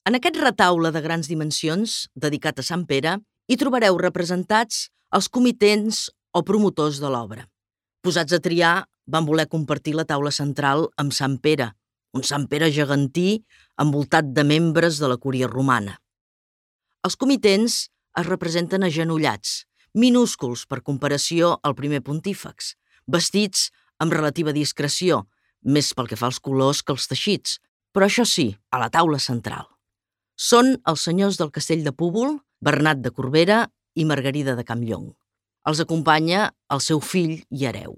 En aquest retaule de grans dimensions, dedicat a Sant Pere, hi trobareu representats els comitents o promotors de l'obra. Posats a triar, van voler compartir la taula central amb Sant Pere, un Sant Pere gegantí envoltat de membres de la cúria romana. Els comitents es representen agenollats, minúsculs per comparació al primer pontífex, vestits amb relativa discreció, més pel que fa als colors que als teixits, però això sí, a la taula central. Són els senyors del castell de Púbol, Bernat de Corbera i Margarida de Campllong. Els acompanya el seu fill i hereu.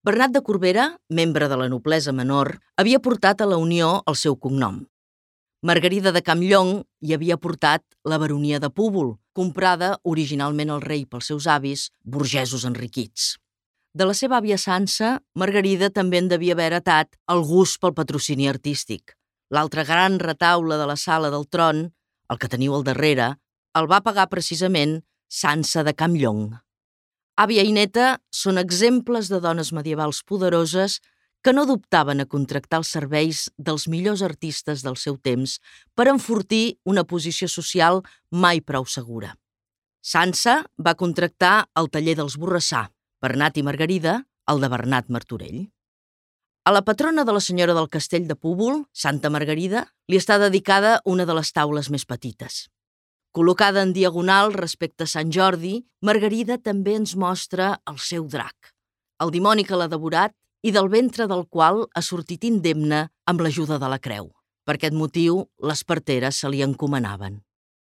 Bernat de Corbera, membre de la noblesa menor, havia portat a la Unió el seu cognom. Margarida de Campllong hi havia portat la baronia de Púbol, comprada originalment al rei pels seus avis, burgesos enriquits. De la seva àvia Sança, Margarida també en devia haver heretat el gust pel patrocini artístic. L'altre gran retaule de la sala del tron, el que teniu al darrere, el va pagar precisament Sança de Campllong. Àvia i neta són exemples de dones medievals poderoses que no dubtaven a contractar els serveis dels millors artistes del seu temps per enfortir una posició social mai prou segura. Sança va contractar el taller dels Borrassà, Bernat i Margarida, el de Bernat Martorell. A la patrona de la senyora del castell de Púbol, Santa Margarida, li està dedicada una de les taules més petites. Col·locada en diagonal respecte a Sant Jordi, Margarida també ens mostra el seu drac, el dimoni que l'ha devorat i del ventre del qual ha sortit indemne amb l'ajuda de la creu. Per aquest motiu, les parteres se li encomanaven.